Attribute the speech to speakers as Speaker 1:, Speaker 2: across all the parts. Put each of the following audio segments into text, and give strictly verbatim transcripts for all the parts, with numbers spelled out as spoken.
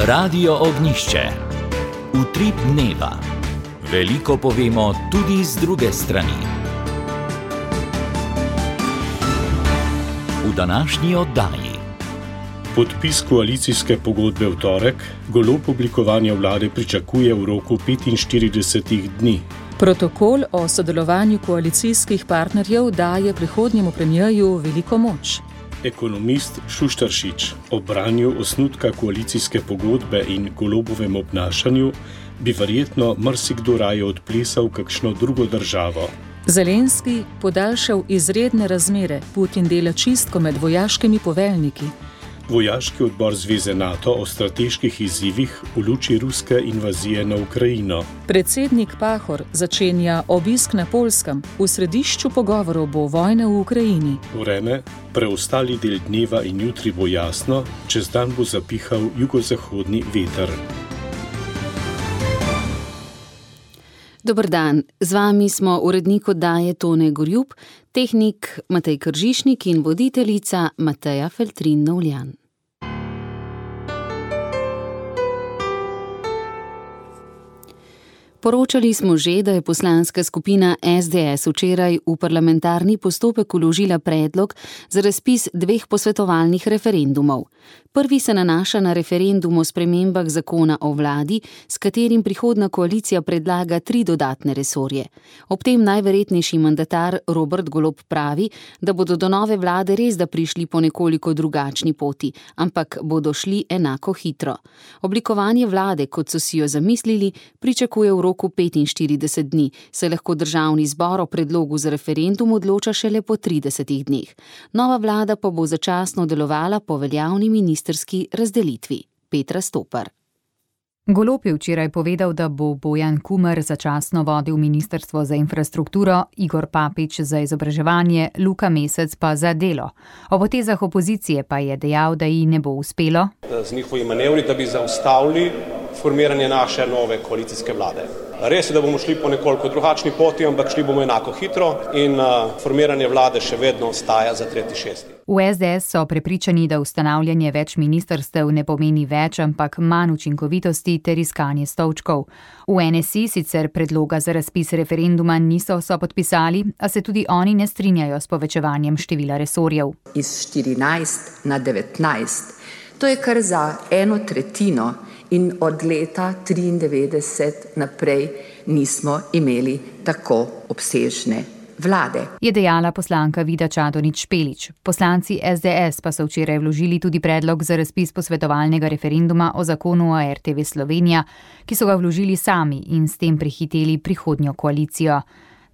Speaker 1: Radio Ognjišče. Utrip dneva. Veliko povemo tudi z druge strani. V današnji oddaji.
Speaker 2: Podpis koalicijske pogodbe v torek, Golob oblikovanja vlade pričakuje v roku petinštiridesetih dni.
Speaker 3: Protokol o sodelovanju koalicijskih partnerjev daje prihodnjemu premierju veliko moč.
Speaker 2: Ekonomist Šuštaršič o branju osnutka koalicijske pogodbe in Golobovem obnašanju bi verjetno marsikdo raje odplesal kakšno drugo državo.
Speaker 3: Zelenski podaljšal izredne razmere, Putin dela čistko med vojaškimi poveljniki.
Speaker 2: Vojaški odbor Zveze NATO o strateških izzivih v luči ruske invazije na Ukrajino.
Speaker 3: Predsednik Pahor začenja obisk na Poljskem. V središču pogovorov bo vojna v Ukrajini.
Speaker 2: Vreme, preostali del dneva in jutri bo jasno, čez dan bo zapihal jugozahodni veter.
Speaker 4: Dober dan, z vami smo urednik oddaje Tone Gorjup, tehnik Matej Kržišnik in voditeljica Mateja Feltrin-Novljan. Poročali smo že, da je poslanska skupina es de es včeraj v parlamentarni postopek vložila predlog za razpis dveh posvetovalnih referendumov. Prvi se nanaša na referendum o spremembah zakona o vladi, s katerim prihodna koalicija predlaga tri dodatne resorje. Ob tem najverjetnejši mandatar Robert Golob pravi, da bodo do nove vlade res da prišli po nekoliko drugačni poti, ampak bodo šli enako hitro. Oblikovanje vlade, kot so si jo zamislili, pričakuje v roku petinštirideset dni, se lahko državni zbor o predlogu za referendum odloča šele po tridesetih dneh. Nova vlada pa bo začasno delovala po veljavni ministrski razdelitvi. Petra Stopar.
Speaker 5: Golob je včeraj povedal, da bo Bojan Kumer začasno vodil ministrstvo za infrastrukturo, Igor Papič za izobraževanje, Luka Mesec pa za delo. O potezah opozicije pa je dejal, da ji ne bo uspelo.
Speaker 6: Z njihovi manevri, da bi zaustavili formiranje naše nove koalicijske vlade. Res je, da bomo šli po nekoliko drugačni poti, ampak šli bomo enako hitro in uh, formiranje vlade še vedno ostaja za tretji šesti.
Speaker 5: V es de es so prepričani, da ustanavljanje več ministrstev ne pomeni več, ampak manj učinkovitosti ter iskanje stolčkov. V en es i sicer predloga za razpis referenduma niso sopodpisali, a se tudi oni ne strinjajo s povečevanjem števila resorjev.
Speaker 7: Iz štirinajst na devetnajst. To je kar za eno tretjino. In od leta triindevetdeset naprej nismo imeli tako obsežne vlade.
Speaker 5: Je dejala poslanka Vida Čadonič Špelič. Poslanci es de es pa so včeraj vložili tudi predlog za razpis posvetovalnega referenduma o zakonu o er te ve Slovenija, ki so ga vložili sami in s tem prehiteli prihodnjo koalicijo.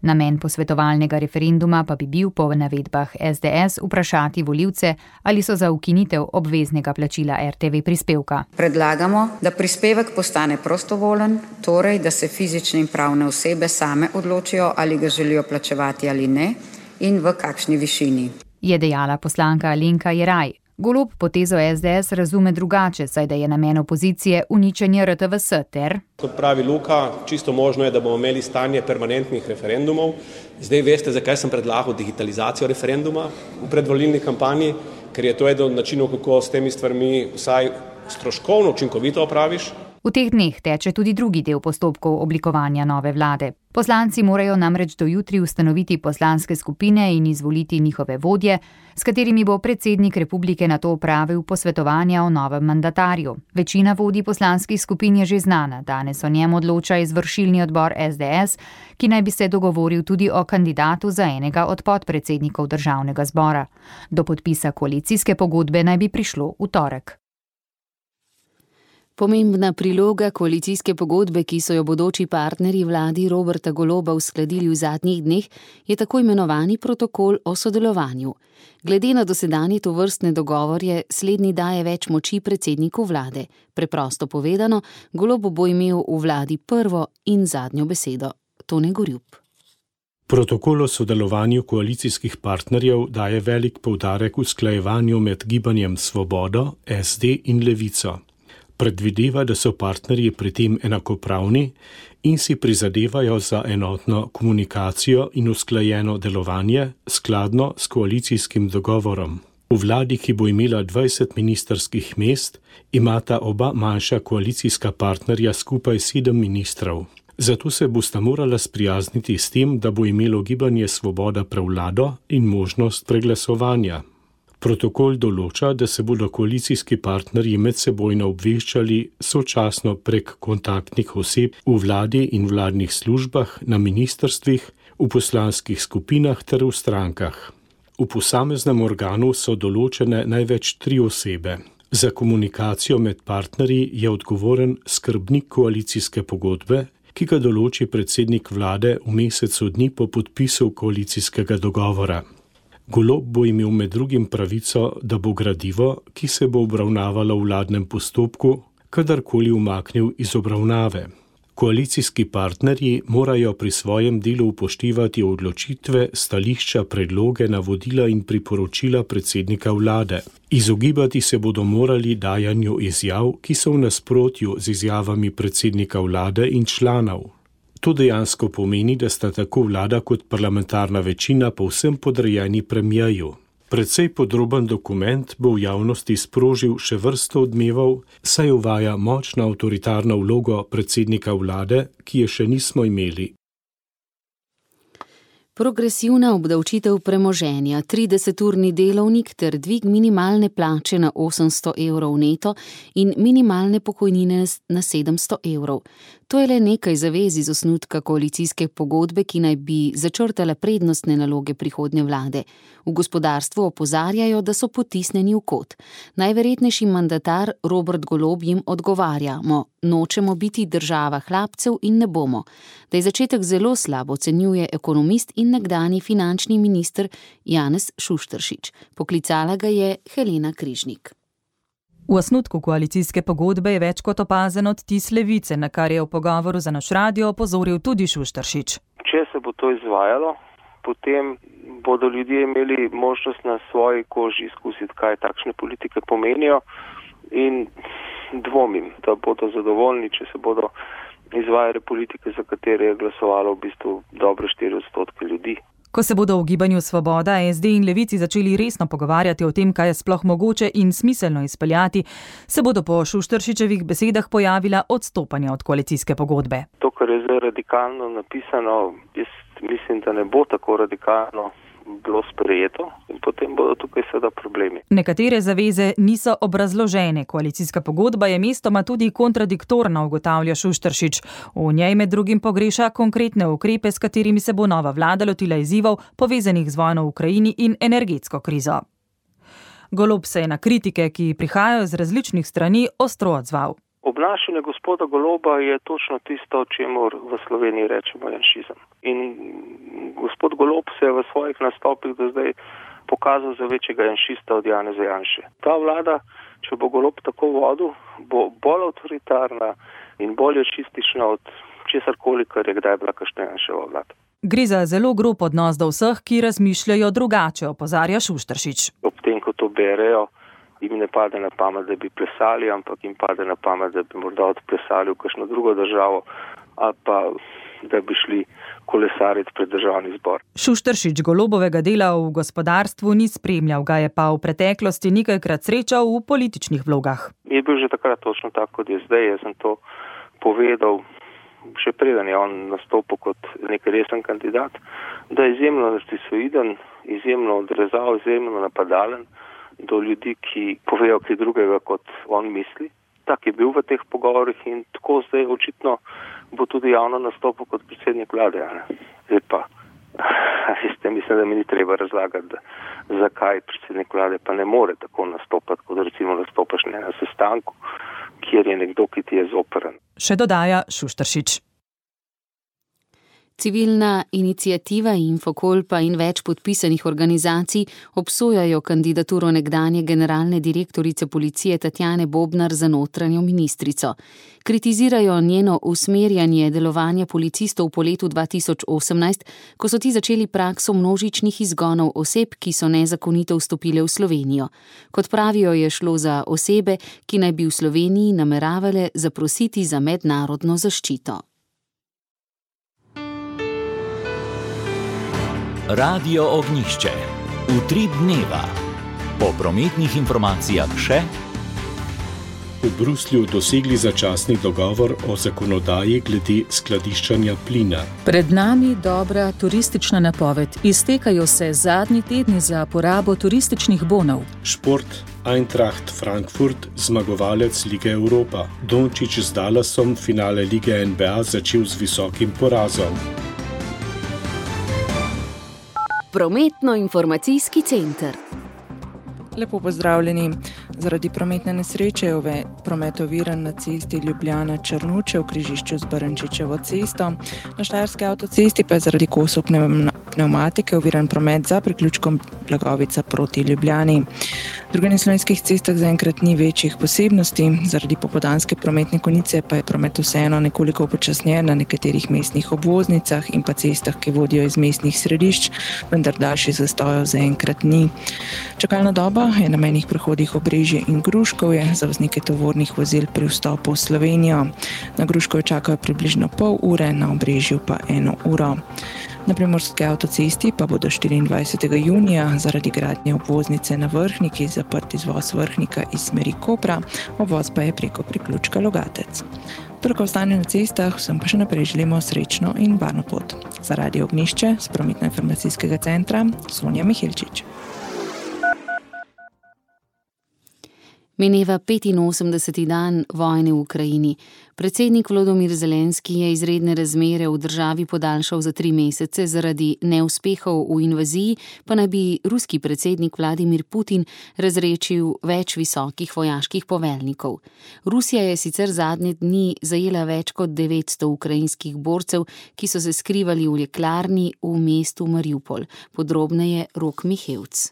Speaker 5: Namen posvetovalnega referenduma pa bi bil po navedbah es de es vprašati volivce, ali so za ukinitev obveznega plačila er te ve prispevka.
Speaker 8: Predlagamo, da prispevek postane prostovoljen, torej da se fizične in pravne osebe same odločijo, ali ga želijo plačevati ali ne in v kakšni višini.
Speaker 5: Je dejala poslanka Alenka Jeraj. Golob potezo es de es razume drugače, saj da je namen opozicije uničenje er te ve es ter...
Speaker 6: Kot pravi Luka, čisto možno je, da bomo imeli stanje permanentnih referendumov. Zdaj veste, zakaj sem predlagal digitalizacijo referenduma v predvolilni kampanji, ker je to eden od načinov, kako s temi stvarmi vsaj stroškovno učinkovito opraviš.
Speaker 5: V teh dneh teče tudi drugi del postopkov oblikovanja nove vlade. Poslanci morajo namreč do jutri ustanoviti poslanske skupine in izvoliti njihove vodje, s katerimi bo predsednik republike nato opravil posvetovanja o novem mandatarju. Večina vodij poslanskih skupin je že znana, danes o njem odloča izvršilni odbor es de es, ki naj bi se dogovoril tudi o kandidatu za enega od podpredsednikov državnega zbora. Do podpisa koalicijske pogodbe naj bi prišlo v torek.
Speaker 4: Pomembna priloga koalicijske pogodbe, ki so jo bodoči partnerji vladi Roberta Goloba uskladili v zadnjih dneh, je tako imenovani protokol o sodelovanju. Glede na dosedanje tovrstne dogovorje, slednji daje več moči predsedniku vlade. Preprosto povedano, Golob bo imel v vladi prvo in zadnjo besedo. Tone Gorjup.
Speaker 2: Protokol o sodelovanju koalicijskih partnerjev daje velik poudarek usklajevanju med gibanjem Svobodo, es de in Levico. Predvideva, da so partnerji pri tem enakopravni in si prizadevajo za enotno komunikacijo in usklajeno delovanje skladno s koalicijskim dogovorom. V vladi, ki bo imela dvajset ministrskih mest, imata oba manjša koalicijska partnerja skupaj sedem ministrov. Zato se bosta morala sprijazniti s tem, da bo imelo Gibanje Svoboda prevlado in možnost preglasovanja. Protokol določa, da se bodo koalicijski partnerji medsebojno obveščali sočasno prek kontaktnih oseb v vladi in vladnih službah, na ministrstvih, v poslanskih skupinah ter v strankah. V posameznem organu so določene največ tri osebe. Za komunikacijo med partnerji je odgovoren skrbnik koalicijske pogodbe, ki ga določi predsednik vlade v mesecu dni po podpisu koalicijskega dogovora. Golob bo imel med drugim pravico, da bo gradivo, ki se bo obravnavalo v vladnem postopku, kadarkoli umaknil iz obravnave. Koalicijski partnerji morajo pri svojem delu upoštevati odločitve, stališča, predloge, navodila in priporočila predsednika vlade. Izogibati se bodo morali dajanju izjav, ki so v nasprotju z izjavami predsednika vlade in članov. To dejansko pomeni, da sta tako vlada kot parlamentarna večina povsem podrejeni premierju. Precej podroben dokument bo v javnosti sprožil še vrsto odmevov, saj uvaja močno avtoritarno vlogo predsednika vlade, ki je še nismo imeli.
Speaker 4: Progresivna obdavčitev premoženja, trideseturni delovnik ter dvig minimalne plače na osemsto evrov neto in minimalne pokojnine na sedemsto evrov. To je le nekaj zavez iz osnutka koalicijske pogodbe, ki naj bi začrtala prednostne naloge prihodnje vlade. V gospodarstvu opozarjajo, da so potisnjeni v kot. Najverjetnejši mandatar Robert Golob jim odgovarjamo: nočemo biti država hlapcev in ne bomo. Da je začetek zelo slab, ocenjuje ekonomist in nekdanji finančni minister Janez Šušteršič. Poklicala ga je Helena Križnik.
Speaker 9: V osnutku koalicijske pogodbe je več kot opazen odtis levice, na kar je v pogovoru za naš radio opozoril tudi Šušteršič.
Speaker 10: Če se bo to izvajalo, potem bodo ljudje imeli možnost na svoji koži izkusiti, kaj takšne politike pomenijo, in dvomim, da bodo zadovoljni, če se bodo izvajale politike, za katere je glasovalo v bistvu dobro štiri odstotke ljudi.
Speaker 9: Ko se bodo v Gibanju Svoboda, es de in Levici začeli resno pogovarjati o tem, kaj je sploh mogoče in smiselno izpeljati, se bodo po Šušteršičevih besedah pojavila odstopanja od koalicijske pogodbe.
Speaker 10: To, kar je zdaj radikalno napisano, jaz mislim, da ne bo tako radikalno bilo sprejeto in potem bodo tukaj seveda problemi.
Speaker 9: Nekatere zaveze niso obrazložene. Koalicijska pogodba je mestoma tudi kontradiktorna, ugotavlja Šušteršič. V njej med drugim pogreša konkretne ukrepe, s katerimi se bo nova vlada lotila izzivov, povezanih z vojno v Ukrajini in energetsko krizo. Golob se je na kritike, ki prihajajo z različnih strani, ostro odzval.
Speaker 10: Obnašanje gospoda Goloba je točno tisto, čemur v Sloveniji rečemo janšizem. In gospod Golob se je v svojih nastopih do zdaj pokazal za večjega janšista od Janeza Janše. Ta vlada, če bo Golob tako vodil, bo bolj avtoritarna in bolj janšistična od česarkoli, kar je kdaj bila kakšna Janševa vlada.
Speaker 9: Gre za zelo grob odnos do vseh, ki razmišljajo drugače, opozarja Šušteršič.
Speaker 10: Ob tem, ko to berejo, jim ne pade na pamet, da bi plesali, ampak jim pade na pamet, da bi morda odplesali v kakšno drugo državo, ali pa da bi šli kolesariti pred državni zbor.
Speaker 9: Šušteršič Golobovega dela v gospodarstvu ni spremljal, ga je pa v preteklosti nekajkrat srečal v političnih vlogah.
Speaker 10: Je bil že takrat točno tako, kot je zdaj. Jaz sem to povedal, še preden je on nastopil kot nek resen kandidat, da je izjemno narcisoiden, izjemno odrezav, izjemno napadalen do ljudi, ki povejo kaj drugega, kot on misli. Tak je bil v teh pogovorih in tako zdaj očitno bo tudi javno nastopil kot predsednik vlade. Zdaj pa, mislim, da mi ni treba razlagati, da, zakaj predsednik vlade pa ne more tako nastopati, kot recimo nastopaš ne na sestanku, kjer je nekdo, ki ti je zoprn.
Speaker 9: Še dodaja Šušteršič.
Speaker 4: Civilna iniciativa Infokolpa in več podpisanih organizacij obsojajo kandidaturo nekdanje generalne direktorice policije Tatjane Bobnar za notranjo ministrico. Kritizirajo njeno usmerjanje delovanja policistov po letu dva tisoč osemnajst, ko so ti začeli prakso množičnih izgonov oseb, ki so nezakonito vstopile v Slovenijo. Kot pravijo, je šlo za osebe, ki naj bi v Sloveniji nameravale zaprositi za mednarodno zaščito.
Speaker 1: Radio Ognjišče. Utrip dneva. Po prometnih informacijah še:
Speaker 2: v Bruslju dosegli začasni dogovor o zakonodaji glede skladiščanja plina.
Speaker 3: Pred nami dobra turistična napoved. Iztekajo se zadnji tedni za porabo turističnih bonov.
Speaker 2: Šport, Eintracht Frankfurt, zmagovalec Lige Europa. Dončić z Dallasom finale Lige N B A začel z visokim porazom.
Speaker 4: Prometno-informacijski center.
Speaker 11: Lepo pozdravljeni. Zaradi prometne nesreče je promet oviran na cesti Ljubljana-Črnuče v križišču z Brnčičevo cesto. Na Štajerski avtocesti pa je zaradi kosov pnevmatike oviran promet za priključkom Blagovica proti Ljubljani. Druge na slovenskih cestah zaenkrat ni večjih posebnosti, zaradi popoldanske prometne konice pa je promet vseeno nekoliko upočasnjen na nekaterih mestnih obvoznicah in pa cestah, ki vodijo iz mestnih središč, vendar daljših zastojev zaenkrat ni. Čakalna doba je na mejnih prehodih Obrežje in Gruškovje za voznike tovornih vozil pri vstopu v Slovenijo. Na Gruškovju čakajo približno pol ure, na Obrežju pa eno uro. Na primorski avtocesti pa bo do štiriindvajsetega junija zaradi gradnje obvoznice na Vrhniki zaprt izvoz Vrhnika iz smeri Kopra, obvoz pa je preko priključka Logatec. Toliko o stanju na cestah, vsem pa še naprej želimo srečno in varno pot. Za Radio Ognjišče z prometno-informacijskega centra Sonja Miheličič.
Speaker 4: Mineva petinosemdeseti dan vojne v Ukrajini. Predsednik Volodymyr Zelenski je izredne razmere v državi podaljšal za tri mesece, zaradi neuspehov v invaziji pa naj bi ruski predsednik Vladimir Putin razrešil več visokih vojaških poveljnikov. Rusija je sicer zadnje dni zajela več kot devetsto ukrajinskih borcev, ki so se skrivali v jeklarni v mestu Mariupol. Podrobneje Rok Mihevc.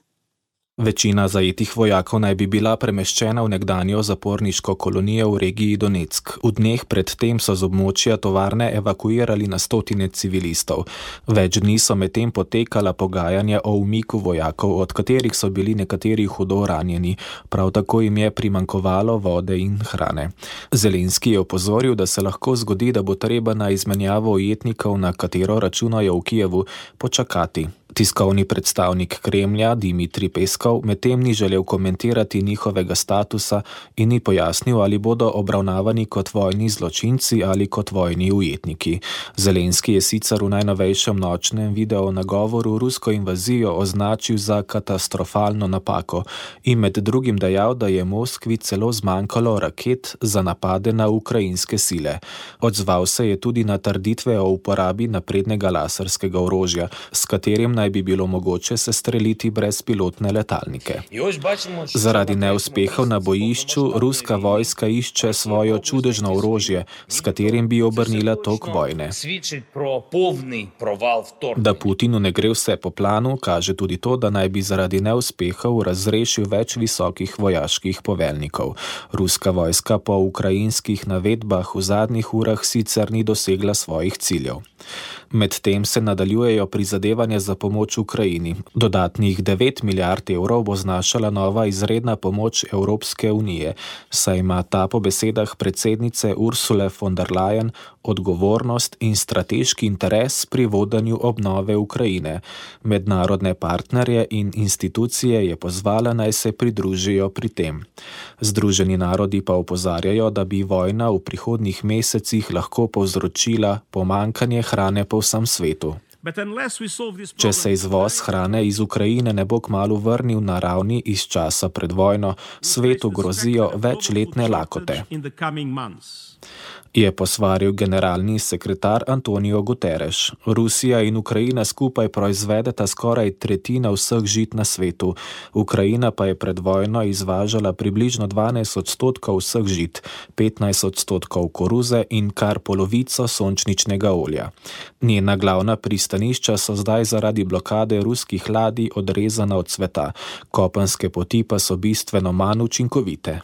Speaker 12: Večina zajetih vojakov naj bi bila premeščena v nekdanjo zaporniško kolonijo v regiji Donetsk. V dneh pred tem so z območja tovarne evakuirali na stotine civilistov. Več dni so medtem potekala pogajanja o umiku vojakov, od katerih so bili nekateri hudo ranjeni. Prav tako jim je primanjkovalo vode in hrane. Zelenski je opozoril, da se lahko zgodi, da bo treba na izmenjavo ujetnikov, na katero računajo v Kijevu, počakati. Tiskovni predstavnik Kremlja Dimitrij Peskov medtem ni želel komentirati njihovega statusa in ni pojasnil, ali bodo obravnavani kot vojni zločinci ali kot vojni ujetniki. Zelenski je sicer v najnovejšem nočnem video nagovoru rusko invazijo označil za katastrofalno napako in med drugim dejal, da je Moskvi celo zmanjkalo raket za napade na ukrajinske sile. Odzval se je tudi na trditve o uporabi naprednega laserskega orožja, s katerim naj bi bilo mogoče sestreliti brezpilotne letalnike. Zaradi neuspehov na bojišču ruska vojska išče svojo čudežno orožje, s katerim bi obrnila tok vojne. Da Putinu ne gre vse po planu, kaže tudi to, da naj bi zaradi neuspehov razrešil več visokih vojaških poveljnikov. Ruska vojska po ukrajinskih navedbah v zadnjih urah sicer ni dosegla svojih ciljev. Medtem se nadaljujejo prizadevanja za pomoč Ukrajini. Dodatnih devet milijard evrov bo znašala nova izredna pomoč Evropske unije, saj ima ta po besedah predsednice Ursule von der Leyen odgovornost in strateški interes pri vodenju obnove Ukrajine. Mednarodne partnerje in institucije je pozvala, naj se pridružijo pri tem. Združeni narodi pa opozarjajo, da bi vojna v prihodnjih mesecih lahko povzročila pomanjkanje hrane po vsem svetu. Če se izvoz hrane iz Ukrajine ne bo kmalu vrnil na ravni iz časa pred vojno, svetu grozijo večletne lakote, je posvaril generalni sekretar Antonio Guterres. Rusija in Ukrajina skupaj proizvedeta skoraj tretjina vseh žit na svetu. Ukrajina pa je pred vojno izvažala približno dvanajst odstotkov vseh žit, petnajst odstotkov koruze in kar polovico sončničnega olja. Njena glavna pristanišča so zdaj zaradi blokade ruskih ladij odrezana od sveta, kopenske poti pa so bistveno manj učinkovite.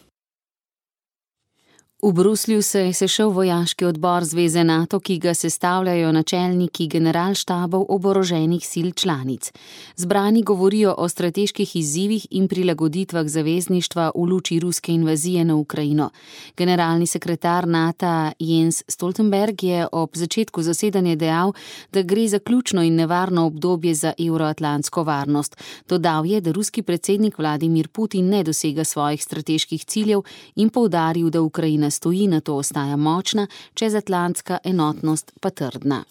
Speaker 4: V Bruslju se je sešel vojaški odbor Zveze NATO, ki ga sestavljajo načelniki generalštabov oboroženih sil članic. Zbrani govorijo o strateških izzivih in prilagoditvah zavezništva v luči ruske invazije na Ukrajino. Generalni sekretar NATO Jens Stoltenberg je ob začetku zasedanja dejal, da gre za ključno in nevarno obdobje za evroatlantsko varnost. Dodal je, da ruski predsednik Vladimir Putin ne dosega svojih strateških ciljev in poudaril, da Ukrajina stoji, na to ostaja močna, čezatlantska enotnost pa trdna.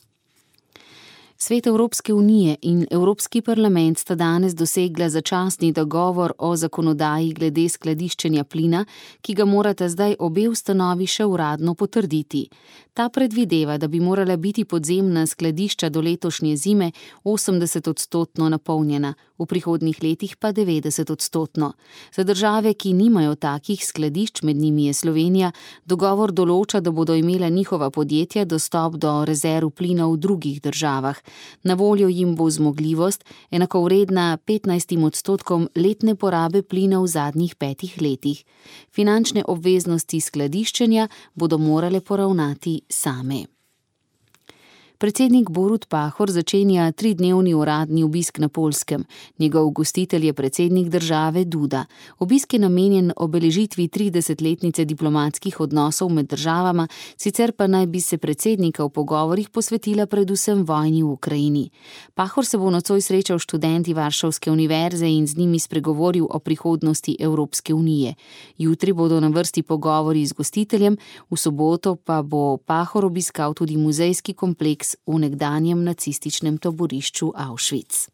Speaker 4: Svet Evropske unije in Evropski parlament sta danes dosegla začasni dogovor o zakonodaji glede skladiščenja plina, ki ga morata zdaj obe ustanovi še uradno potrditi. Ta predvideva, da bi morala biti podzemna skladišča do letošnje zime osemdeset odstotno napolnjena, v prihodnjih letih pa devetdeset odstotno. Za države, ki nimajo takih skladišč, med njimi je Slovenija, dogovor določa, da bodo imela njihova podjetja dostop do rezerv plina v drugih državah. Na voljo jim bo zmogljivost, enakovredna petnajstim odstotkom letne porabe plina v zadnjih petih letih. Finančne obveznosti skladiščenja bodo morale poravnati same. Predsednik Borut Pahor začenja tridnevni uradni obisk na Poljskem. Njegov gostitelj je predsednik države Duda. Obisk je namenjen obeležitvi tridesetletnice diplomatskih odnosov med državama, sicer pa naj bi se predsednika v pogovorih posvetila predvsem vojni v Ukrajini. Pahor se bo nocoj srečal študenti Varšavske univerze in z njimi spregovoril o prihodnosti Evropske unije. Jutri bodo na vrsti pogovori z gostiteljem, v soboto pa bo Pahor obiskal tudi muzejski kompleks v nekdanjem nacističnem taborišču Auschwitz.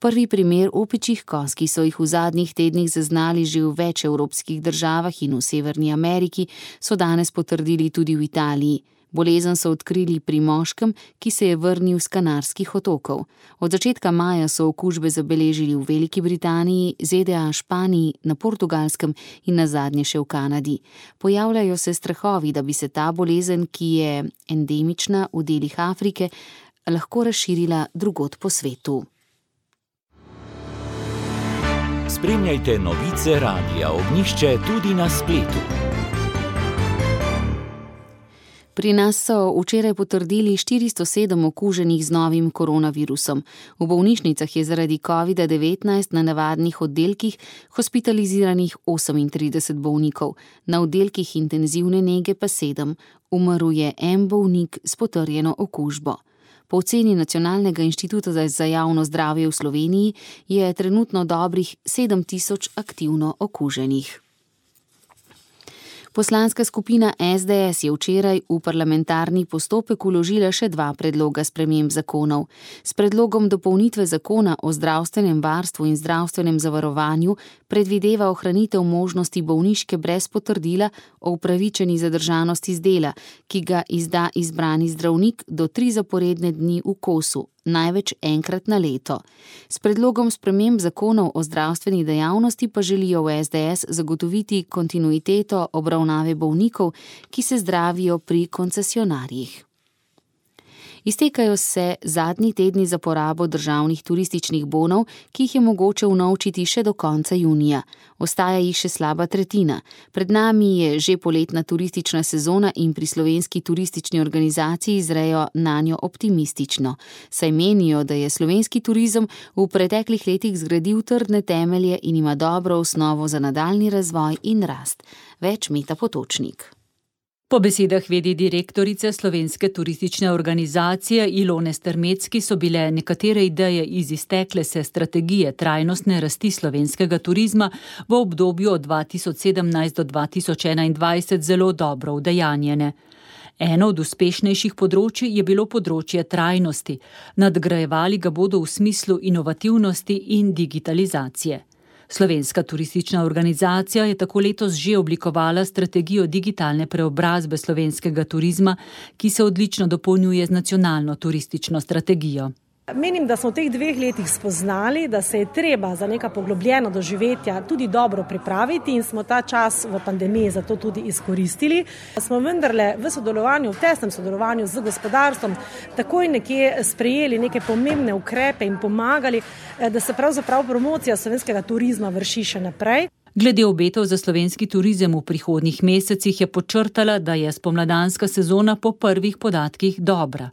Speaker 4: Prvi primer opičjih koz, ki so jih v zadnjih tednih zaznali že v več evropskih državah in v Severni Ameriki, so danes potrdili tudi v Italiji. Bolezen so odkrili pri moškem, ki se je vrnil z Kanarskih otokov. Od začetka maja so okužbe zabeležili v Veliki Britaniji, Z D A, Španiji, na Portugalskem in nazadnje še v Kanadi. Pojavljajo se strahovi, da bi se ta bolezen, ki je endemična v delih Afrike, lahko razširila drugod po svetu.
Speaker 1: Spremljajte novice Radia Ognjišče tudi na spletu.
Speaker 4: Pri nas so včeraj potrdili štiristo sedem okuženih z novim koronavirusom. V bolnišnicah je zaradi kovida devetnajst na navadnih oddelkih hospitaliziranih osemintrideset bolnikov, na oddelkih intenzivne nege pa sedem. Umrl je en bolnik s potrjeno okužbo. Po oceni Nacionalnega inštituta za javno zdravje v Sloveniji je trenutno dobrih sedem tisoč aktivno okuženih. Poslanska skupina S D S je včeraj v parlamentarni postopek vložila še dva predloga sprememb zakonov. S predlogom dopolnitve zakona o zdravstvenem varstvu in zdravstvenem zavarovanju predvideva ohranitev možnosti bolniške brez potrdila o upravičeni zadržanosti z dela, ki ga izda izbrani zdravnik do tri zaporedne dni v kosu, največ enkrat na leto. S predlogom sprememb zakonov o zdravstveni dejavnosti pa želijo v S D S zagotoviti kontinuiteto obravnave bolnikov, ki se zdravijo pri koncesionarjih. Iztekajo se zadnji tedni za porabo državnih turističnih bonov, ki jih je mogoče unovčiti še do konca junija. Ostaja jih še slaba tretjina. Pred nami je že poletna turistična sezona in pri Slovenski turistični organizaciji zrejo nanjo optimistično. Saj menijo, da je slovenski turizem v preteklih letih zgradil trdne temelje in ima dobro osnovo za nadaljnji razvoj in rast. Več Meta Potočnik.
Speaker 13: Po besedah vedi direktorice Slovenske turistične organizacije Ilone Strmecki so bile nekatere ideje iz iztekle se strategije trajnostne rasti slovenskega turizma v obdobju od dva tisoč sedemnajst do dva tisoč enaindvajset zelo dobro udejanjene. Eno od uspešnejših področij je bilo področje trajnosti. Nadgrajevali ga bodo v smislu inovativnosti in digitalizacije. Slovenska turistična organizacija je tako letos že oblikovala strategijo digitalne preobrazbe slovenskega turizma, ki se odlično dopolnjuje z nacionalno turistično strategijo.
Speaker 14: Menim, da smo v teh dveh letih spoznali, da se je treba za neka poglobljena doživetja tudi dobro pripraviti in smo ta čas v pandemiji zato tudi izkoristili. Smo vendarle v sodelovanju, v tesnem sodelovanju z gospodarstvom takoj nekje sprejeli neke pomembne ukrepe in pomagali, da se pravzaprav promocija slovenskega turizma vrši še naprej.
Speaker 13: Glede obetov za slovenski turizem v prihodnjih mesecih je podčrtala, da je spomladanska sezona po prvih podatkih dobra.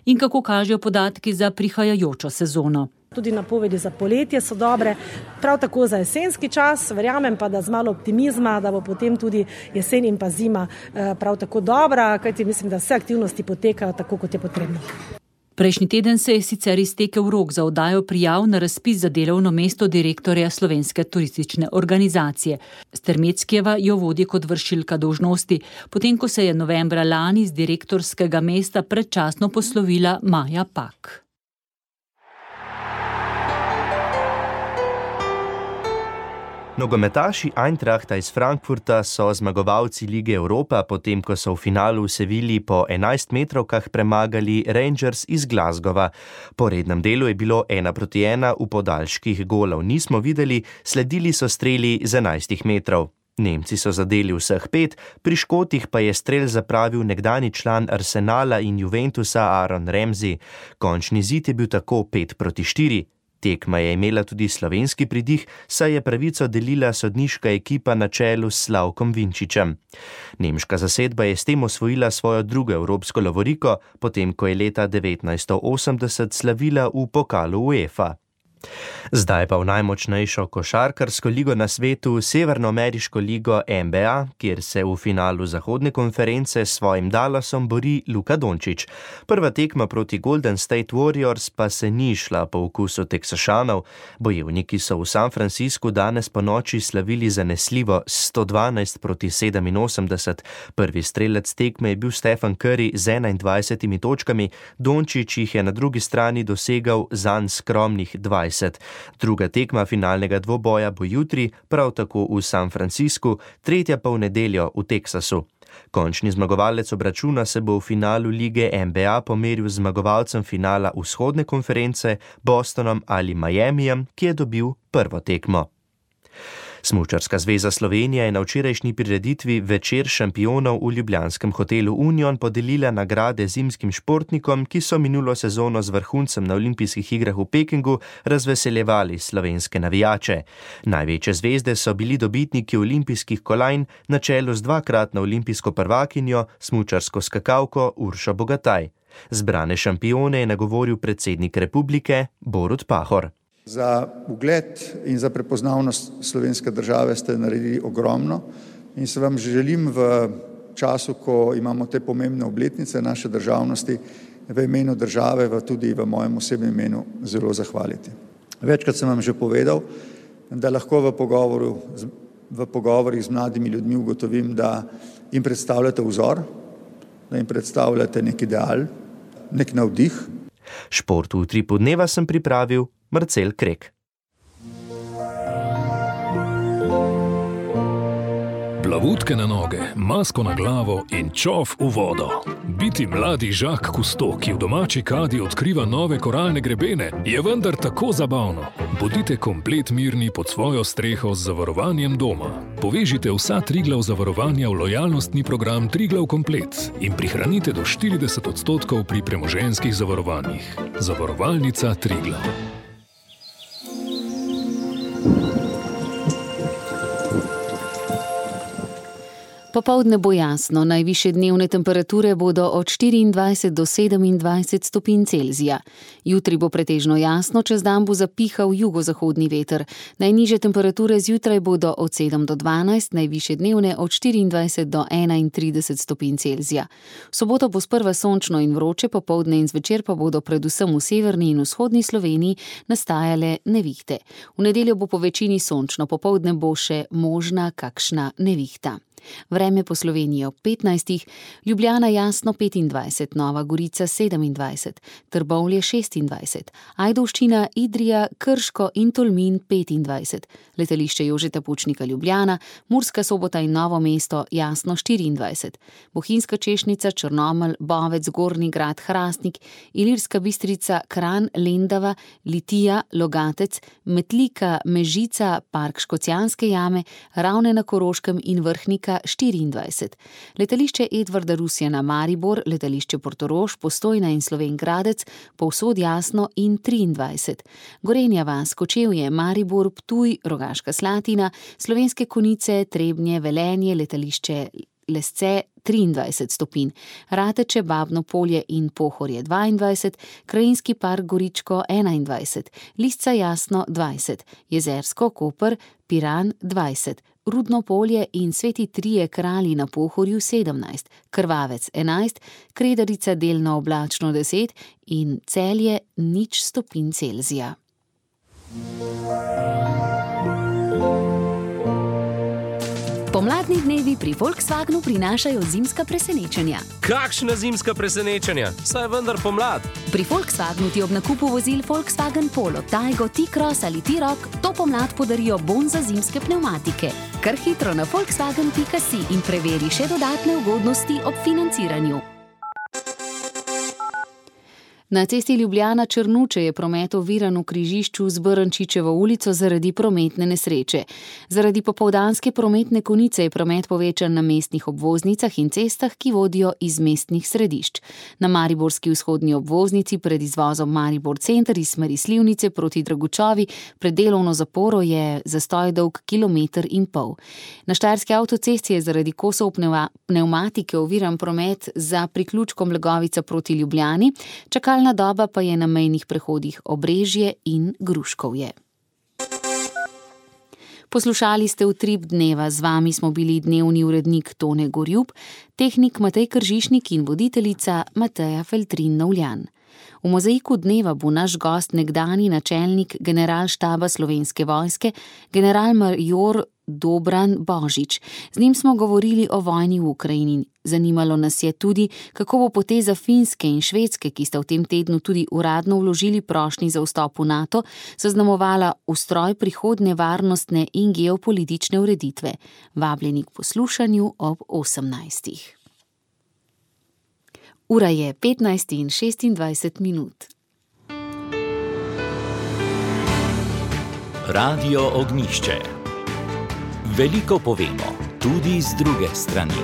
Speaker 13: In kako kažejo podatki za prihajajočo sezono?
Speaker 14: Tudi napovedi za poletje so dobre, prav tako za jesenski čas, verjamem pa, da z malo optimizma, da bo potem tudi jesen in pa zima prav tako dobra, kajti mislim, da vse aktivnosti potekajo tako, kot je potrebno.
Speaker 13: Prejšnji teden se je sicer iztekel rok za oddajo prijav na razpis za delovno mesto direktorja Slovenske turistične organizacije. Strmeckijeva jo vodi kot vršilka dolžnosti, potem ko se je novembra lani z direktorskega mesta predčasno poslovila Maja Pak.
Speaker 15: Nogometaši Eintrachta iz Frankfurta so zmagovalci Lige Evropa, potem ko so v finalu v Sevilji po enajstmetrovkah premagali Rangers iz Glasgowa. Po rednem delu je bilo ena proti ena, v podaljških golov nismo videli, sledili so streli z enajstih metrov. Nemci so zadeli vseh pet, pri Škotih pa je strel zapravil nekdani član Arsenala in Juventusa Aaron Ramsey. Končni zid je bil tako pet proti štiri. Tekma je imela tudi slovenski pridih, saj je pravico delila sodniška ekipa na čelu s Slavkom Vinčičem. Nemška zasedba je s tem osvojila svojo drugo evropsko lovoriko, potem ko je leta devetnajststo osemdeset slavila v pokalu UEFA. Zdaj pa v najmočnejšo košarkarsko ligo na svetu, severnoameriško ligo N B A, kjer se v finalu zahodne konference s svojim Dallasom bori Luka Dončić. Prva tekma proti Golden State Warriors pa se ni šla po okusu Teksašanov. Bojevniki so v San Franciscu danes po noči slavili zanesljivo sto dvanajst proti sedeminosemdeset. Prvi strelec tekme je bil Stephen Curry z enaindvajsetimi točkami, Dončić jih je na drugi strani dosegal zanj skromnih dvajset. Druga tekma finalnega dvoboja bo jutri, prav tako v San Franciscu, tretja pa v nedeljo v Teksasu. Končni zmagovalec obračuna se bo v finalu lige N B A pomeril z zmagovalcem finala vzhodne konference, Bostonom ali Miamijem, ki je dobil prvo tekmo. Smučarska zveza Slovenije je na včerajšnji prireditvi Večer šampionov v ljubljanskem hotelu Union podelila nagrade zimskim športnikom, ki so minulo sezono z vrhuncem na olimpijskih igrah v Pekingu razveseljevali slovenske navijače. Največje zvezde so bili dobitniki olimpijskih kolajn na čelu z dvakratno olimpijsko prvakinjo, smučarsko skakalko Uršo Bogataj. Zbrane šampione je nagovoril predsednik republike Borut Pahor.
Speaker 16: Za ugled in za prepoznavnost slovenske države ste naredili ogromno in se vam želim v času, ko imamo te pomembne obletnice naše državnosti, v imenu države, v tudi v mojem osebnem imenu zelo zahvaliti. Večkrat sem vam že povedal, da lahko v pogovoru, v pogovorih z mladimi ljudmi ugotovim, da jim predstavljate vzor, da jim predstavljate nek ideal, nek navdih.
Speaker 15: Šport v Utripu dneva sem pripravil Marcel Krek.
Speaker 17: Plavutke na noge, masko na glavo in čov v vodo. Biti mladi Jacques Cousteau, ki v domači kadi odkriva nove koralne grebene, je vendar tako zabavno. Bodite komplet mirni pod svojo streho z zavarovanjem doma. Povežite vsa Triglav zavarovanja v lojalnostni program Triglav Komplet in prihranite do štirideset odstotkov pri premoženjskih zavarovanjih. Zavarovalnica Triglav.
Speaker 4: Popoldne bo jasno, najvišje dnevne temperature bodo od štiriindvajset do sedemindvajset stopinj Celzija. Jutri bo pretežno jasno, čez dan bo zapihal jugozahodni veter. Najnižje temperature zjutraj bodo od sedem do dvanajst, najvišje dnevne od štiriindvajset do enaintrideset stopinj Celzija. V soboto bo sprva sončno in vroče, popoldne in zvečer pa bodo predvsem v severni in vzhodni Sloveniji nastajale nevihte. V nedeljo bo po večini sončno, popoldne bo še možna kakšna nevihta. Vreme po Sloveniji ob petnajstih, Ljubljana jasno petindvajset, Nova Gorica sedemindvajset, Trbovlje šestindvajset, Ajdovščina, Idrija, Krško in Tolmin petindvajset, letališče Jožeta Pučnika Ljubljana, Murska Sobota in Novo mesto jasno štiriindvajset, Bohinjska Češnica, Črnomelj, Bovec, Gornji Grad, Hrastnik, Ilirska Bistrica, Kranj, Lendava, Litija, Logatec, Metlika, Mežica, Park Škocjanske jame, Ravne na Koroškem in Vrhnika štiri. štiriindvajset, letališče Edvarda Rusjana Maribor, letališče Portorož, Postojna in Slovenj Gradec, povsod jasno in triindvajset, Gorenja vas, Kočevje, Maribor, Ptuj, Rogaška Slatina, Slovenske Konjice, Trebnje, Velenje, letališče Lesce triindvajset stopinj, Rateče, Babno Polje in Pohorje dvaindvajset, Krajinski park Goričko enaindvajset, Lisca Jasno dvajset, Jezersko, Koper, Piran dvajset, Rudno Polje in Sveti Trije Kralji na Pohorju sedemnajst, Krvavec enajst, Kredarica delno oblačno deset in Celje nič stopinj Celzija. Pomladni dnevi pri Volkswagenu prinašajo zimska presenečenja.
Speaker 18: Kakšna zimska presenečenja? Saj je vendar pomlad.
Speaker 4: Pri Volkswagenu ti ob nakupu vozil Volkswagen Polo, Taigo, T-Cross ali T-Roc to pomlad podarijo bon za zimske pnevmatike. Kar hitro na volkswagen pika si in preveri še dodatne ugodnosti ob financiranju. Na cesti Ljubljana-Črnuče je promet oviran v križišču z Brnčičevo ulico zaradi prometne nesreče. Zaradi popoldanske prometne konice je promet povečan na mestnih obvoznicah in cestah, ki vodijo iz mestnih središč. Na mariborski vzhodni obvoznici pred izvozom Maribor center iz smeri Slivnice proti Dragučovi pred delovno zaporo je zastoj dolg kilometer in pol. Na štajerski avtocesti je zaradi kosov pnevmatike oviran promet za priključkom Legovica proti Ljubljani, čakal Čakalna doba pa je na mejnih prehodih Obrežje in Gruškovje. Poslušali ste Utrip dneva, z vami smo bili dnevni urednik Tone Gorjup, tehnik Matej Kržišnik in voditeljica Mateja Feltrin-Novljan. V mozaiku dneva bo naš gost nekdani načelnik generalštaba Slovenske vojske, generalmajor Dobran Božič. Z njim smo govorili o vojni v Ukrajini. Zanimalo nas je tudi, kako bo poteza Finske in Švedske, ki sta v tem tednu tudi uradno vložili prošnji za vstop v NATO, zaznamovala ustroj prihodnje varnostne in geopolitične ureditve. Vabljeni k poslušanju ob osemnajstih. Ura je petnajst in šestindvajset minut.
Speaker 1: Radio Ognjišče. Veliko povemo, tudi z druge strani.